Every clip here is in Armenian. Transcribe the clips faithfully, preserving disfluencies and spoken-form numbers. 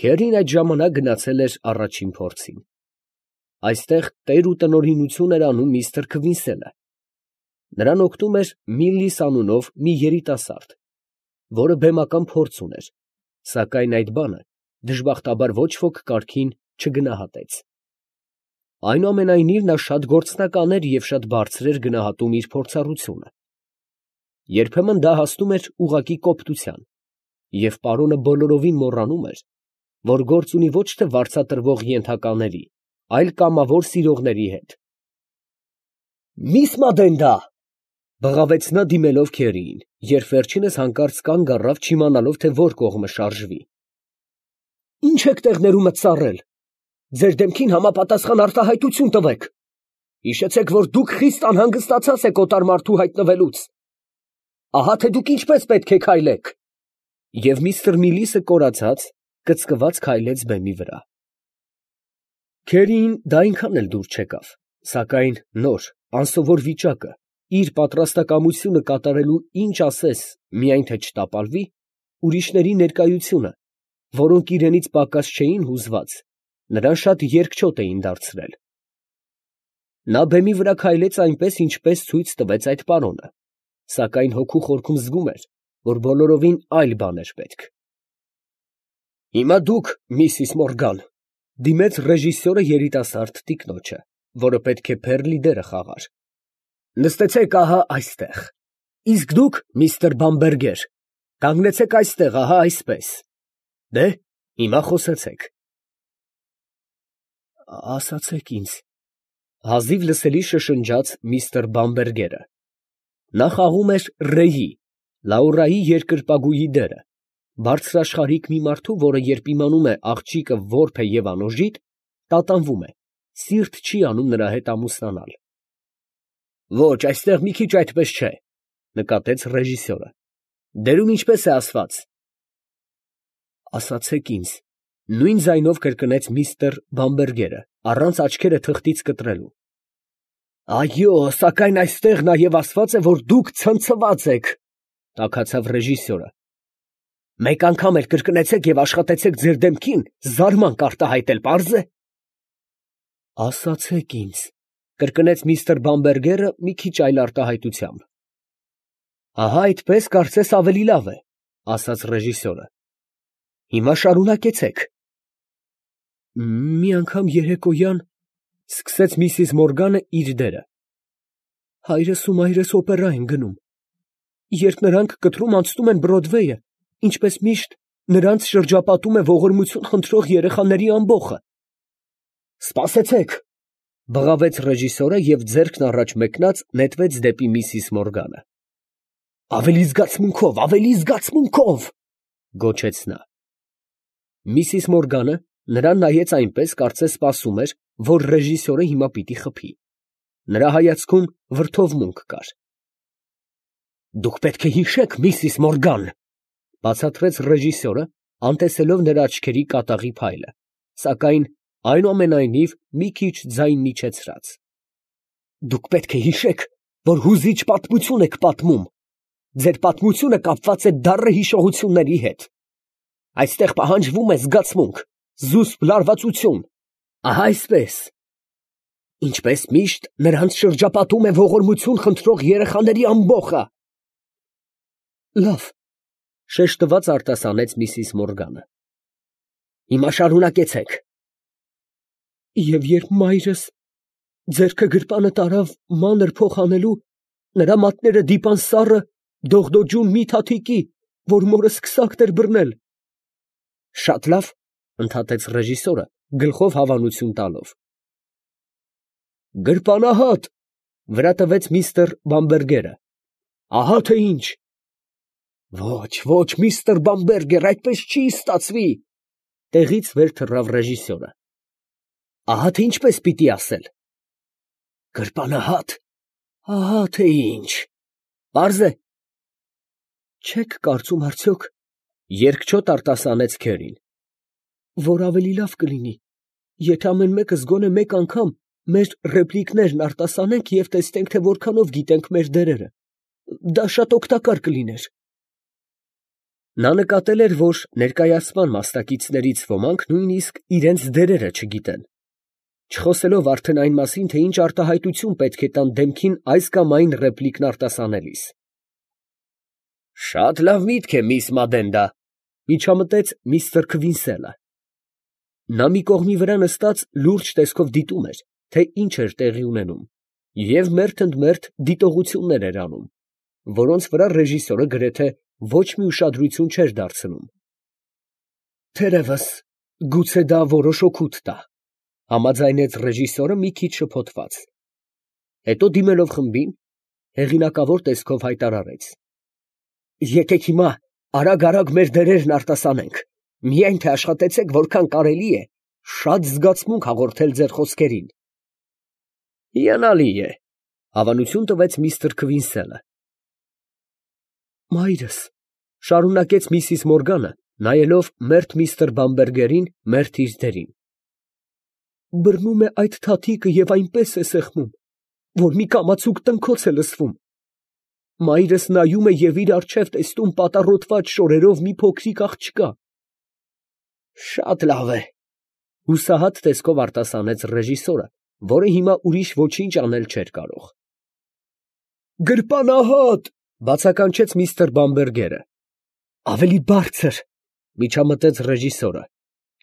Քերին այդ ժամանակ գնացել էր առաջին փորձին։ Այստեղ տեր ու տնօրինություն էր անում միստր Քվինսենը. նրան օգնում էր Միլլիս անունով մի երիտասարդ, որը բեմական փորձ ուներ, սակայն այդ բանը դժբախտաբար ոչ ոք կարգին չգնահատեց։ Այնուամենայնիվ նա շատ գործնական էր և շատ բարձր էր գնահատում իր փորձառությունը։ Երբեմն դա հասնում էր ուղղակի կոպտության, և պարոնը բոլորովին մոռանում էր, որ գործ ունի ոչ թե վարձատրվող ենթակաների, այլ կամավոր սիրողների հետ։ «Միս Մադենդա!» բղավեց նա դիմելով քերիին, երբ վերջինս հանկարծ կանգ առավ, չիմանալով, թե որ կողմը շարժվի։ «Ի՞նչ եք տեղներումդ ծառել. ձեր դեմքին համապատասխան արտահայտություն տվեք. հիշեցեք, որ դուք խիստ անհանգստացած եք օտար մարդու հայտնվելուց. ահա թե դուք ինչպես պետք է քայլեք»։ Եվ միստր Միլիսը կորացած, կծկված քայլեց բեմի վրա։ Քերիին դա այնքան էլ դուր չեկավ, սակայն նոր, անսովոր վիճակը, իր պատրաստակամությունը կատարելու ինչ ասես, միայն թե չտապալվի, ուրիշների ներկայությունը, որոնք իրենից պակաս չէին հուզված, նրան շատ երկչոտ էին դարձրել։ Նա բեմի վրա քայլեց այնպես, ինչպես ցույց տվեց այդ պարոնը, սակայն հոգու խորքում զգում էր, որ բոլորովին այլ բան էր պետք։ «Հիմա դուք, Միսիս Մորգան», ֊ դիմեց ռեժիսորը երիտասարդ տիկնոջը, որը պետք է Փերլի դերը խաղար, ֊ նստեցեք ահա այստեղ, իսկ դուք, միստր Բամբերգեր, կանգնեցեք այստեղ, ահա այսպես. դե, հիմա խոսեցեք։ «Ասացեք ինձ», ֊ հազիվ լսելի շշնջաց միստր Բամբերգերը. նա խաղում էր Ռեյի, Լաուրայի երկրպագուի դերը, բարձրաշխարհիկ մի մարդու, որը երբ իմանում է աղջիկը որբ է և անօժիտ, տատանվում է, սիրտ չի անում նրա հետ ամուսնանալ։ «Ոչ, այստեղ մի քիչ այդպես չէ», ֊ նկատեց ռեժիսորը. «դերում ինչպես է ասված»։ «Ասացեք ինձ», ֊ նույն ձայնով կրկնեց միստր Բամբերգերը, առանց աչքերը թղթից կտրելու։ «Այո, սակայն այստեղ նաև ասված է, որ դուք ցնցված եք», ֊ տաքացավ ռեժիսորը։ «Մեկ անգամ էլ կրկնեցեք և աշխատեցեք ձեր դեմքին զարմանք արտահայտել, պարզ է»։ «Ասացեք ինձ», ֊ կրկնեց միստր Բամբերգերը մի քիչ այլ արտահայտությամբ։ «Ահա այդպես կարծես ավելի լավ է», ֊ ասաց ռեժիսորը։ «Հիմա շարունակեցեք»։ «Մի անգամ երեկոյան, ֊ սկսեց միսիս Մորգանը իր դերը, ֊ հայրս ու մայրս օպերա են գնում. երբ նրանք կտրում անցնում են Բրոդվեյը, ինչպես միշտ, նրանց շրջապատում է ողորմություն խնդրող երեխաների ամբոխը»։ «Սպասեցեք», ֊ բղավեց ռեժիսորը և ձեռքն առաջ մեկնած նետվեց դեպի միսիս Մորգանը։ «Ավելի զգացմունքով, ավելի զգացմունքով», ֊ գոչեց նա։ Միսիս Մորգանը նրան նայեց այնպես, կարծես սպասում էր, որ ռեժիսորը հիմա պիտի խփի։ Նրա հայացքում վրդովմունք կար։ «Դուք պետք է հիշեք, միսիս Մորգան», ֊ բացատրեց ռեժիսորը, անտեսելով նրա աչքերի կատաղի փայլը, սակայն այնուամենայնիվ մի քիչ ձայնն իջեցրած։ «Դուք պետք է հիշեք, որ հուզիչ պատմություն եք պատմում. ձեր պատմությունը կապված է դառը հիշողությունների հետ։ Այստեղ պահանջվում է զգացմունք, զուսպ լարվածություն, ահա այսպես։ Ինչպես միշտ, նրանց շրջապատում է ողորմություն խնդրող երեխաների ամբոխը»։ «Լավ», ֊ շեշտված արտասանեց միսիս Մորգանը։ «Հիմա շարունակեցեք»։ «Եվ երբ մայրս ձեռքը գրպանը տարավ մանր փող հանելու, նրա մատները դիպան սառը, դողդոջուն մի թաթիկի, որ մորս քսակն էր բռնել»։ «Շատ լավ», ֊ ընդհատեց ռեժիսորը, գլխով հավանություն տալով։ «Գրպանահատ», ֊ վրա տվեց միստր Բամբերգերը, ֊ «ահա թե ինչ»։ «Ոչ, ոչ, միստր Բամբերգեր, այդպես չի ստացվի», ֊ տեղից վեր թռավ ռեժիսորը։ «Ահա թե ինչպես պիտի ասել»։ «Գրպանահատ, ահա թե ինչ, պարզ է»։ «Չեք կարծում արդյոք, ֊ երկչոտ արտասանեց քերին, ֊ որ ավելի լավ կլինի, եթե ամեն մեկս գոնե մեկ անգամ մեր ռեպլիկներն արտասանենք և տեսնենք, թե որքանով գիտենք մեր դերերը. դա շատ օգտակար կլիներ»։ Նա նկատել էր, որ ներկայացման մասնակիցներից ոմանք նույնիսկ իրանց դերերը չգիտեն, չխոսելով արդեն այն մասին, թե ինչ արտահայտություն պետք է տան դեմքին այս կամ այն ռեպլիկն արտասանելիս։ «Շատ լավ միտք է, միս Մադենդա», ֊ միջամտեց միստր Քվինսելը։ Նա մի կողմի վրա նստած լուրջ տեսքով դիտում էր, թե ինչ էր տեղի ունենում, և մերթ ընդ մերթ դիտողություններ էր անում, որոնց վրա ռեժիսորը գրեթե ոչ մի ուշադրություն չէր դարձնում։ «Թերևս, գուցե դա որոշ օգուտ տա», ֊ համաձայնեց ռեժիսորը մի քիչ շփոթված. հետո դիմելով խմբին, հեղինակավոր տեսքով հայտարարեց. «Եկեք հիմա արագ֊արագ մեր դերերն արտասանենք, միայն թե աշխատեցեք որքան կարելի է, շատ զգացմունք հաղորդել ձեր խոսքերին»։ «Հիանալի է», ֊ հավանություն տվեց միստր Քվինսելը։ «Մայրս», ֊ շարունակեց միսիս Մորգանը, նայելով մերթ միստր Բամբերգերին, մերթ իր դերին, ֊ բռնում է այդ թաթիկը և այնպես է սեղմում, որ մի կամացուկ տնքոց է լսվում։ Մայրս նայում է և իր առջև տեսնում պատառոտված շորերով մի փոքրիկ աղջկա։ ֊ Շատ լավ է, ֊ հուսահատ տեսքով արտասանեց ռեժիսորը, որը հիմա ուրիշ ոչինչ անել չէր կարող։ ֊ Գրպանահատ, ֊ բացականչեց միստր Բամբերգերը։ ֊ Ավելի բարձր, ֊ միջամտեց ռեժիսորը,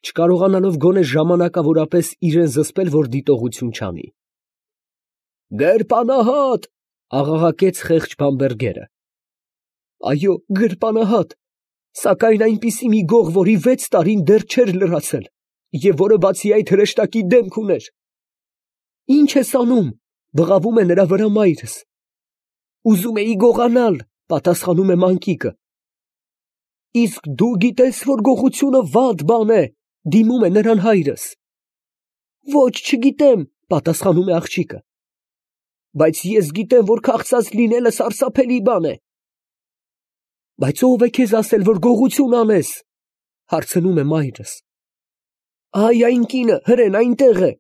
չկարողանալով գոնե ժամանակավորապես իրան զսպել, որ դիտողություն չանի։ ֊ Գրպանահատ, ֊ աղաղակեց խեղճ Բամբերգերը։ ֊ Այո, գրպանահատ, սակայն այնպիսի մի գող, որի վեց տարին դեռ չէր լրացել, և որը բացի այդ հրեշտակի դեմք ուներ։ ֊ Ի՞նչ ես անում, ֊ բղավում է նրա վրա մայրս։ ֊ Ուզում էի գողանալ, ֊ պատասխանում է մանկիկը։ ֊ Իսկ դու գիտես, որ գողությունը վատ բան է, ֊ դիմում է նրան հայրս։ ֊ Ոչ, չգիտեմ, ֊ պատասխանում է աղջիկը։ ֊ Բայց ես գիտեմ, որ քաղցած լինելը սարսափելի բան է։ ֊ Բայց ո՞վ է քեզ ասել, որ գողություն անես, ֊ հարցնում է մայրս։ ֊ Ա՛յ, այն կինը, հրեն, այնտեղ է։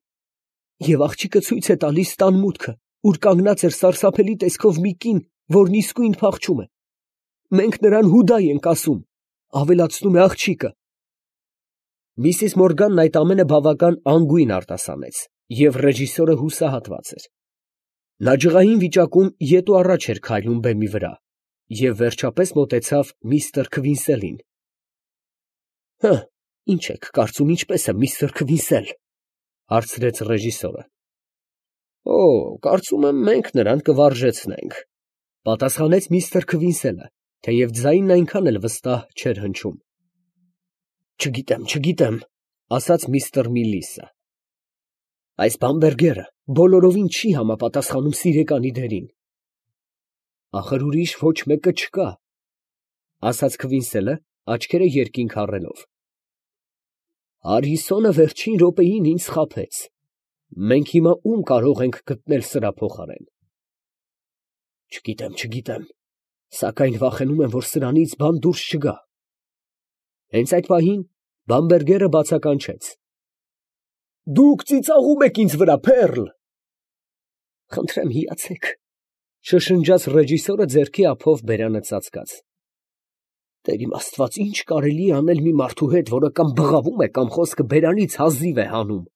Եվ աղջիկը ցույց է տալիս տան մուտքը, ուր կանգնած էր սարսափելի տեսքով մի կին, որն իսկույն փախչում է։ Մենք նրան Հուդայ ենք ասում, ֊ ավելացնում է աղջիկը։ Միսիս Մորգանն այդ ամենը բավական անգույն արտասանեց, և ռեժիսորը հուսահատված էր։ Նա ջղային վիճակում ետ ու առաջ էր քայլում բեմի վրա և վերջապես մոտեցավ միստր Քվինսելին։ ֊ Հը, ի՞նչ եք կարծում, ինչպե՞ս է միստր Քվինսել, ֊ հարցրեց ռեժիսորը։ ֊ Օ, կարծում եմ, մենք նրան կվարժեցնենք, ֊ պատասխանեց միստր Քվինսելը, թեև ձայնն այնքան էլ վստահ չէր հնչում։ ֊ Չգիտեմ, չգիտեմ, ֊ ասաց միստր Միլիսը։ ֊ Այս Բամբերգերը բոլորովին չի համապատասխանում սիրեկանի դերին։ ֊ Ախր ուրիշ ոչ մեկը չկա, ֊ ասաց Քվինսելը, աչքերը երկինք առելով։ ֊ Հարրիսոնը վերջին րոպեին ինձ խաբեց. մենք հիմա ում կարող ենք գտնել սրա փոխարեն։ ֊ Չգիտեմ, չգիտեմ, սակայն վախենում եմ, որ սրանից բան դուրս չգա։ Հենց այդ պահին Բամբերգերը բացականչեց. ֊ Դուք ծիծաղում եք ինձ վրա, Փեռլ։ ֊ Խնդրեմ հիացեք, ֊ շշնջաց ռեժիսորը ձեռքի ափով բերանը ծածկած։ ֊ Տեր իմ աստված, ի՞նչ կարելի է անել մի մարդու հետ, որը կամ բղավում է, կամ խոսքը բերանից հազիվ է հանում։ ֊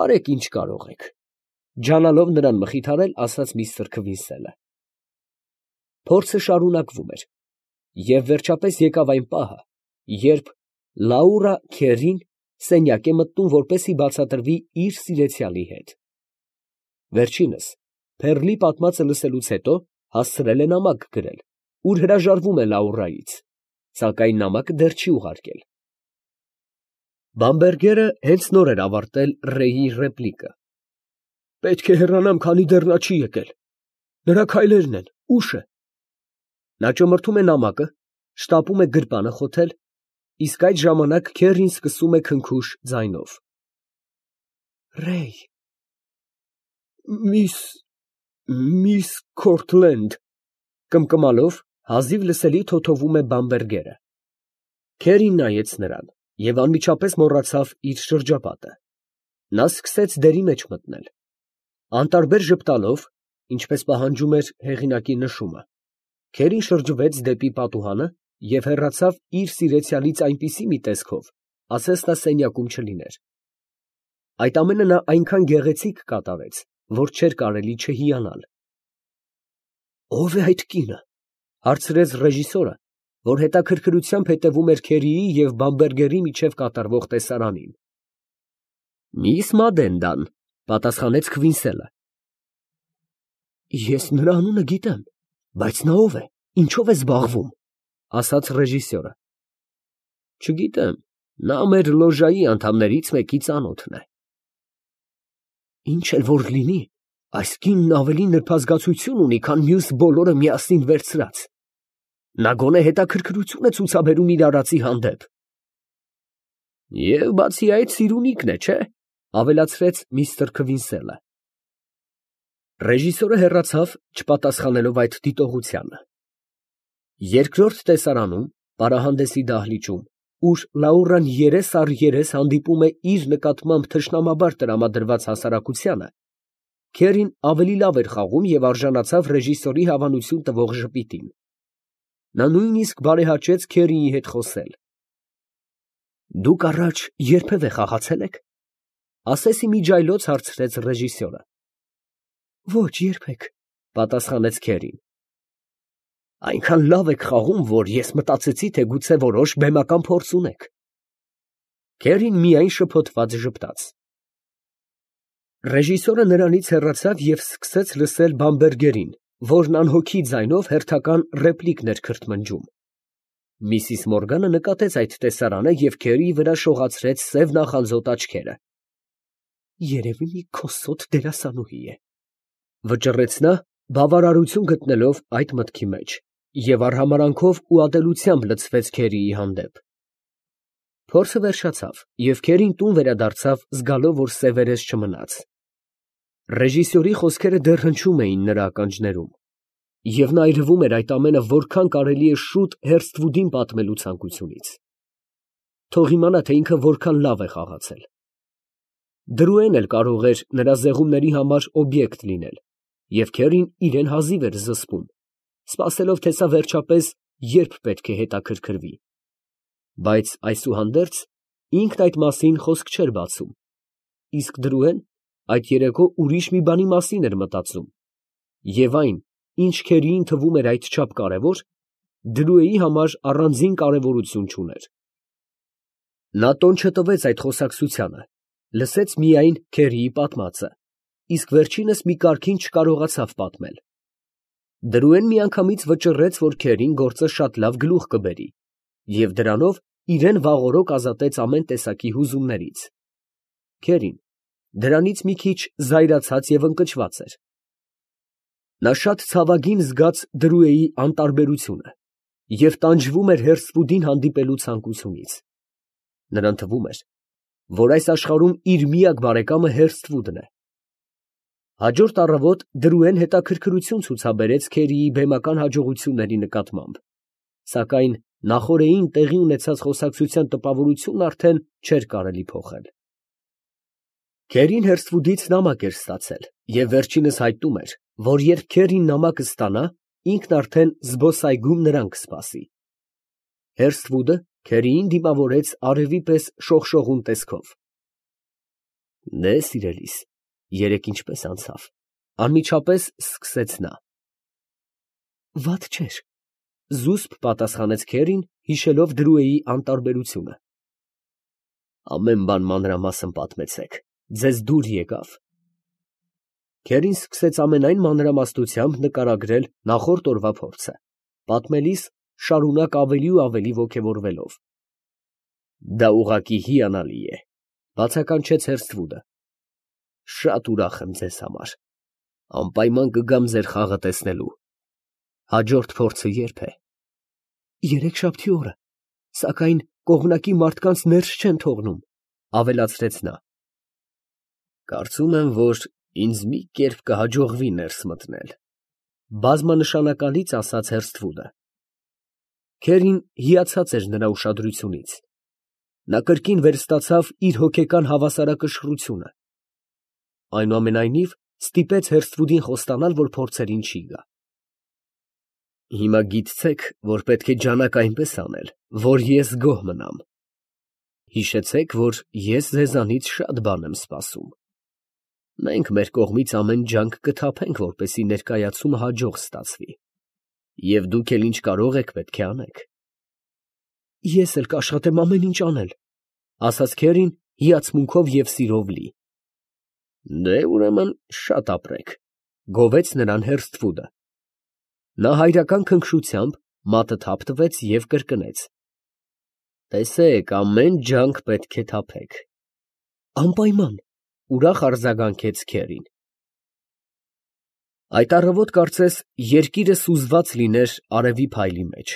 Արեք, ինչ կարող եք, ֊ ջանալով նրան մխիթարել, ասաց միստր Քվինսելը։ Փորձը շարունակվում էր, և վերջապես եկավ այն պահը, երբ Լաուրա քերին սենյակ է մտնում, որպեսզի բացատրվի իր սիրեցյալի հետ։ Վերջինս, Փեռլի պատմածը լսելուց հետո, հասցրել է նամակ գրել, ուր հրաժարվում է Լաուրայից, սակայն նամակը դեռ չի ուղարկել։ Բամբերգերը հենց նոր էր ավարտել Ռեյի ռեպլիկը. «Պետք է հեռանամ, քանի դեռ նա չի եկել։ Նրա քայլերն են, ուշ է»։ Նա ճմրթում է նամակը, շտապում է գրպանը խոթել, իսկ այդ ժամանակ քերին սկսում է քնքուշ ձայնով. Ռեյ… Միս… միս Քորթլենդ… կմկմալով հազիվ լսելի թոթովում է Բամբերգերը։ Քերին նայեց նրան և անմիջապես մոռացավ իր շրջապատը։ Նա սկսեց դերի մեջ մտնել։ Անտարբեր ժպտալով, ինչպես պահանջում էր հեղինակի նշումը, քերին շրջվեց դեպի պատուհանը և հեռացավ իր սիրեցյալից այնպիսի մի տեսքով, ասես նա սենյակում չլիներ։ Այդ ամենը նա այնքան գեղեցիկ կատարեց, որ չէր կարելի չհիանալ։ «Ո՞վ է այդ կինը» ֊ հարցրեց ռեժիսորը, որ հետաքրքրությամբ հետևում էր Քերիի և Բամբերգերի միջև կատարվող տեսարանին։ «Միս Մադենդան», ֊ պատասխանեց Քվինսելը։ «Ես նրա անունը գիտեմ, բայց նա ո՞վ է, ինչո՞վ է զբաղվում», ֊ ասաց ռեժիսորը։ «Չգիտեմ, նա մեր լոժայի անդամներից մեկի ծանոթն է»։ «Ինչ էլ որ լինի, այս կինն ավելի նրբազգացություն ունի, քան մյուս բոլորը միասին վերցրած. նա գոնե հետաքրքրություն է ցուցաբերում իր արածի հանդեպ»։ «Եվ բացի այդ սիրունիքն է, չէ՞, ֊ ավելացրեց միստր Քվինսելը։ Ռեժիսորը հեռացավ, չպատասխանելով այդ դիտողությանը։ Երկրորդ տեսարանում, պարահանդեսի դահլիճում, ուր Լաուրան երես առ երես հանդիպում է իր նկատմամբ թշնամաբար տրամադրված հասարակությանը, Քերին ավելի լավ էր խաղում և արժանացավ ռեժիսորի հավանություն տվող ժպիտին։ Նա նույնիսկ բարեհաճեց Քերիի հետ խոսել։ «Դուք առաջ երբևէ խաղացե՞լ եք, ֊ ասես ի միջիայլոց հարցրեց ռեժիսորը։ «Ոչ, երբեք», ֊ պատասխանեց Քերին։ «Այնքան լավ եք խաղում, որ ես մտածեցի, թե գուցե որոշ բեմական փորձ ունեք»։ Քերին միայն շփոթված ժպտաց։ Ռեժիսորը նրանից հեռացավ և սկսեց լսել Բամբերգերին, որն անհոգի ձայնով հերթական ռեպլիկներ քրթմնջում։ Միսիս Մորգանը նկատեց այդ տեսարանը և Քերիի վրա շողացրեց սև նախանձոտ աչքերը։ «Երևի մի քոսոտ դերասանուհի է», ֊ վճռեց նա, բավարարություն գտնելով այդ մտքի մեջ, և արհամարհանքով ու ատելությամբ լցվեց Քերիի հանդեպ։ Փորձը վերջացավ, և Քերին տուն վերադարձավ, զգալով, որ սևերես չմնաց։ Ռեժիսորի խոսքերը դեռ հնչում էին նրա ականջներում, և նա այրվում էր այդ ամենը որքան կարելի է շուտ Հերսթվուդին պատմելու ցանկությունից։ Թող իմանա, թե ինքը որքան լավ է խաղացել։ Դրուեն էլ կարող էր նրա զեղումների համար օբյեկտ լինել, և Քերին իրան հազիվ էր զսպում, սպասելով, թե սա վերջապես երբ պետք է հետաքրքրվի։ Բայց այսուհանդերձ ինքն այդ մասին խոսք չէր բացում, իսկ Դրուեն այդ երեկո ուրիշ մի բանի մասին էր մտածում, և այն, ինչ Քերիին թվում էր այդչափ կարևոր, Դրուեի համար առանձին կարևորություն չուներ։ Նա տոն չտվեց այդ խոսակցությանը, լսեց միայն Քերիի պատմածը, իսկ վերջինս մի կարգին չկարողացավ պատմել։ Դրուեն միանգամից վճռեց, որ Քերին գործը շատ լավ գլուխ կբերի, և դրանով իրան վաղօրոք ազատեց ամեն տեսակի հուզումներից։ Քերին դրանից մի քիչ զայրացած և ընկճված էր։ Նա շատ ցավագին զգաց Դրուեի անտարբերությունը և տանջվում էր Հերսթվուդին հանդիպելու ցանկությունից։ Նրան թվում էր, որ այս աշխարհում իր միակ բարեկամը Հերսթվուդն է։ Հաջորդ առավոտ Դրուեն հետաքրքրություն ցուցաբերեց Քերիի բեմական հաջողությունների նկատմամբ, սակայն նախօրեին տեղի ունեցած խոսակցության տպավորությունն արդեն չէր կարելի փոխել։ Քերին Հերսթվուդից նամակ էր ստացել և վերջինս հայտնում էր, որ երբ Քերին նամակը ստանա, ինքն արդեն զբոսայգում նրան կսպասի։ Հերսթվուդը Քերիին դիմավորեց արևի պես շողշողուն տեսքով։ «Դե, սիրելիս, երեկ ինչպե՞ս անցավ, ֊ անմիջապես սկսեց նա։ ֊ Վատ չէր, ֊ զուսպ պատասխանեց Քերին, հիշելով Դրուեի անտարբերությունը։ ֊ Ամեն բան մանրամասն պատմեցեք, ձեզ դուր եկավ։ Քերին սկսեց ամենայն մանրամասնությամբ նկարագրել նախորդ օրվա փորձը, պատմելիս շարունակ ավելի ու ավելի ոգևորվելով։ ֊ Դա ուղղակի հիանալի է, ֊ բացականչեց Հերսթվուդը։ ֊ Շատ ուրախ եմ ձեզ համար, անպայման կգամ ձեր խաղը տեսնելու։ Հաջորդ փորձը ե՞րբ է։ ֊ Երեքշաբթի օրը, սակայն կողմնակի մարդկանց ներս չեն թողնում, ֊ ավելացրեց նա։ ֊ Կարծում եմ, որ ինձ մի կերպ կհաջողվի ներս մտնել, ֊ բազմանշանակալից ասաց Հերսթվուդը։ Քերին հիացած էր նրա ուշադրությունից։ Նա կրկին վերստացավ իր հոգեկան հավասարակշռությունը։ Այնուամենայնիվ ստիպեց Հերսթվուդին խոստանալ, որ փորձերին չի գա։ Հիմա գիտցեք, որ պետք է ջանաք այնպես անել, որ ես գոհ մնամ. հիշեցեք, որ ես ձեզանից շատ բան եմ սպասում. մենք մեր կողմից ամեն ջանք կթափենք, որպեսզի ներկայացումը հաջող ստացվի, և դուք էլ ինչ կարող եք, պետք է անեք։ Ես էլ կաշխատեմ ամեն ինչ անել, ֊ ասաց քերին հիացմունքով և սիրով լի։ Դե ուրեմն շատ ապրեք, ֊ գովեց նրան Հերսթվուդը։ Նա հայրական քնքշությամբ մատը թափ տվեց և կրկնեց. Տեսեք, ամեն ջանք պետք է թափեք։ Անպայման, ֊ ուրախ արձագանքեց քերին։ Այդ առավոտ կարծես երկիրը սուզված լիներ արևի փայլի մեջ։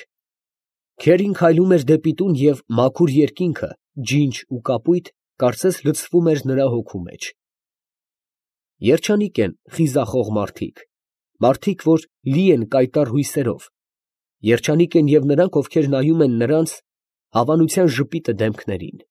Քերին քայլում էր դեպի տուն և մաքուր երկինքը, ջինջ ու կապույտ, կարծես լցվում էր նրա հոգու մեջ։ Երջանիկ են խիզախող մարդիկ, մարդիկ, որ լի են կայտառ հույսերով, երջանիկ են և նրանք, ովքեր նայում են նրանց հավանության ժպիտը դեմքներին։